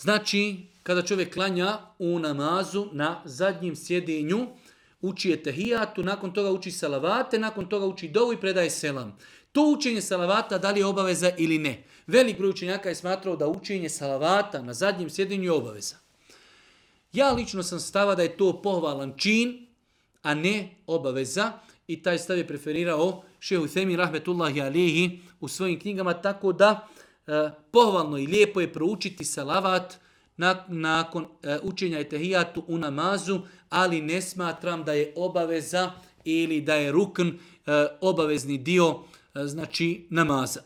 Znači, kada čovjek klanja u namazu na zadnjem sjedinju, uči etehijatu, nakon toga uči salavate, nakon toga uči dovu i predaje selam. To učenje salavata da li je obaveza ili ne? Velik broj učenjaka je smatrao da učenje salavata na zadnjem sjedinju je obaveza. Ja lično sam stava da je to pohvalan čin, a ne obaveza, i taj stav je preferirao šejh Uthejmin rahmetullahi alihi u svojim knjigama, tako da pohvalno i lijepo je proučiti salavat nakon učenja etehijatu u namazu, ali ne smatram da je obaveza ili da je rukn obavezni dio znači namaza.